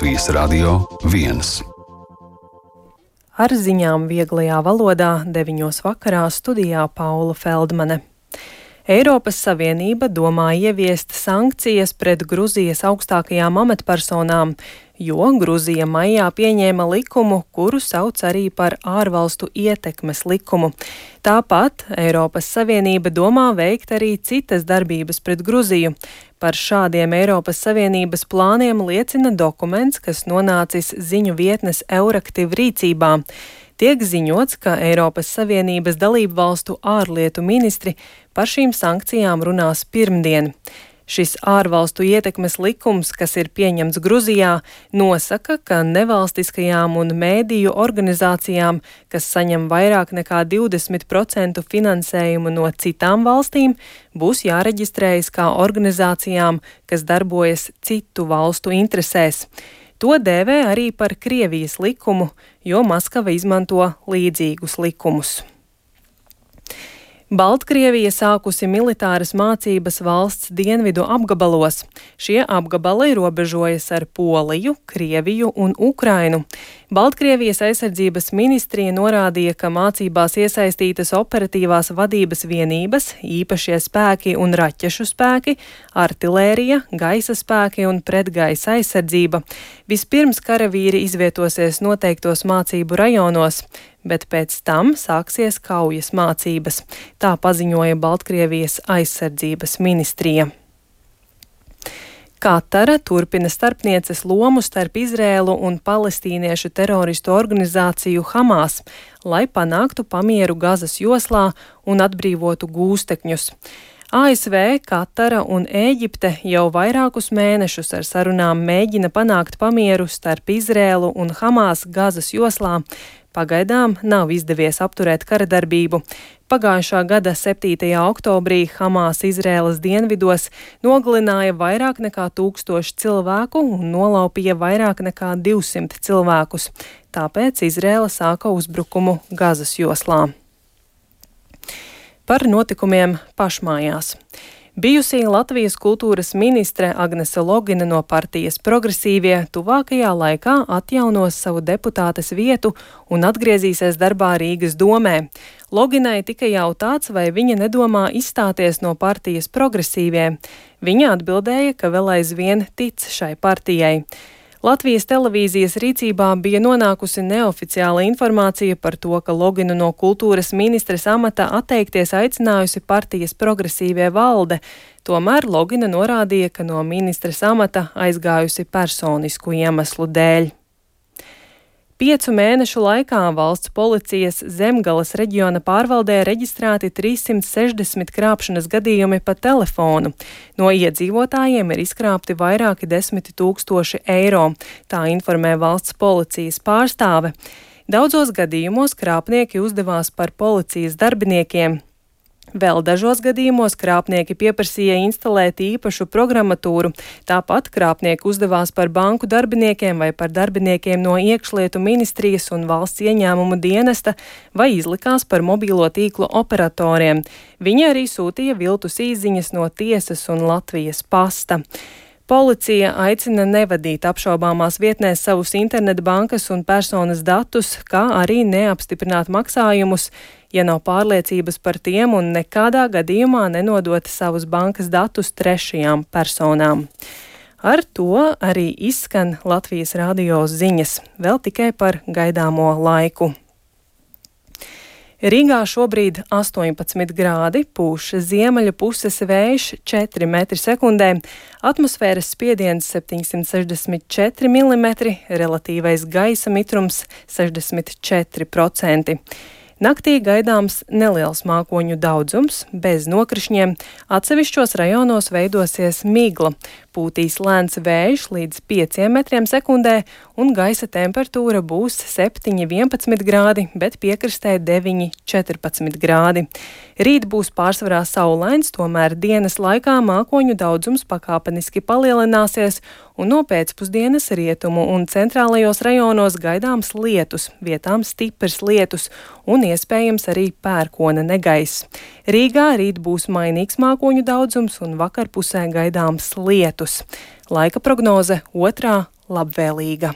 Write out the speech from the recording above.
Latvijas Radio 1. Ar ziņām vieglajā valodā 9:00 vakarā studijā Paula Feldmane. Eiropas Savienība domā ieviest sankcijas pret Gruzijas augstākajām amatpersonām, jo Gruzija maijā pieņēma likumu, kuru sauc arī par ārvalstu ietekmes likumu. Tāpat Eiropas Savienība domā veikt arī citas darbības pret Gruziju. Par šādiem Eiropas Savienības plāniem liecina dokuments, kas nonācis ziņu vietnes Euraktiv rīcībā. Tiek ziņots, ka Eiropas Savienības dalību valstu ārlietu ministri par šīm sankcijām runās pirmdien. Šis ārvalstu ietekmes likums, kas ir pieņemts Gruzijā, nosaka, ka nevalstiskajām un mēdīju organizācijām, kas saņem vairāk nekā 20% finansējumu no citām valstīm, būs jāreģistrējas kā organizācijām, kas darbojas citu valstu interesēs. To dēvē arī par Krievijas likumu, jo Maskava izmanto līdzīgus likumus. Baltkrievija sākusi militāras mācības valsts dienvidu apgabalos. Šie apgabali robežojas ar Poliju, Krieviju un Ukrainu. Baltkrievijas aizsardzības ministrija norādīja, ka mācībās iesaistītas operatīvās vadības vienības, īpašie spēki un raķešu spēki, artilērija, gaisa spēki un pretgaisa aizsardzība. Vispirms karavīri izvietosies noteiktos mācību rajonos, bet pēc tam sāksies kaujas mācības. Tā paziņoja Baltkrievijas aizsardzības ministrija. Katara turpina starpnieces lomu starp Izrēlu un palestīniešu teroristu organizāciju Hamas, lai panāktu pamieru Gazas joslā un atbrīvotu gūstekņus. ASV, Katara un Ēģipte jau vairākus mēnešus ar sarunām mēģina panākt pamieru starp Izrēlu un Hamas Gazas joslā. Pagaidām nav izdevies apturēt karadarbību. Pagājušā gada 7. oktobrī Hamas Izrēlas dienvidos nogalināja vairāk nekā 1000 cilvēku un nolaupīja vairāk nekā 200 cilvēkus. Tāpēc Izrēla sāka uzbrukumu Gazas joslā. Par notikumiem pašmājās. Bijusī Latvijas kultūras ministre Agnese Logina no partijas Progresīvie tuvākajā laikā atjaunos savu deputātes vietu un atgriezīsies darbā Rīgas domē. Loginai tika jautāts, vai viņa nedomā izstāties no partijas Progresīvie. Viņa atbildēja, ka vēl aizvien tic šai partijai. Latvijas televīzijas rīcībā bija nonākusi neoficiāla informācija par to, ka Loginu no kultūras ministres amata atteikties aicinājusi partijas Progresīvie valde. Tomēr Logina norādīja, ka no ministres amata aizgājusi personisku iemeslu dēļ. 5 mēnešu laikā valsts policijas Zemgales reģiona pārvaldē reģistrēti 360 krāpšanas gadījumi pa telefonu. No iedzīvotājiem ir izkrāpti vairāki 10 000 eiro, tā informē valsts policijas pārstāve. Daudzos gadījumos krāpnieki uzdevās par policijas darbiniekiem. Vēl dažos gadījumos krāpnieki pieprasīja instalēt īpašu programmatūru, tāpat krāpnieki uzdevās par banku darbiniekiem vai par darbiniekiem no iekšlietu ministrijas un valsts ieņēmumu dienesta vai izlikās par mobīlo tīklu operatoriem. Viņi arī sūtīja viltus īsziņas no tiesas un Latvijas pasta. Policija aicina nevadīt apšaubāmās vietnēs savus internetbankas un personas datus, kā arī neapstiprināt maksājumus, ja nav pārliecības par tiem un nekādā gadījumā nenodot savus bankas datus trešajām personām. Ar to arī izskan Latvijas radio ziņas, vēl tikai par gaidāmo laiku. Rīgā šobrīd 18 grādi, pūš ziemeļu puses vējš 4 metri sekundē, atmosfēras spiediens 764 mm, relatīvais gaisa mitrums 64%. Naktī gaidāms neliels mākoņu daudzums, bez nokrišņiem, atsevišķos rajonos veidosies migla, pūtīs lēns vējš līdz 5 metriem sekundē un gaisa temperatūra būs 7-11 grādi, bet piekrastē 9-14 grādi. Rīt būs pārsvarā saulains, tomēr dienas laikā mākoņu daudzums pakāpeniski palielināsies un no pēcpusdienas rietumu un centrālajos rajonos gaidāms lietus, vietām stiprs lietus un iespējams arī pērkona negaiss. Rīgā rīt būs mainīgs mākoņu daudzums un vakarpusē gaidāms lietus. Laika prognoze 2. labvēlīga.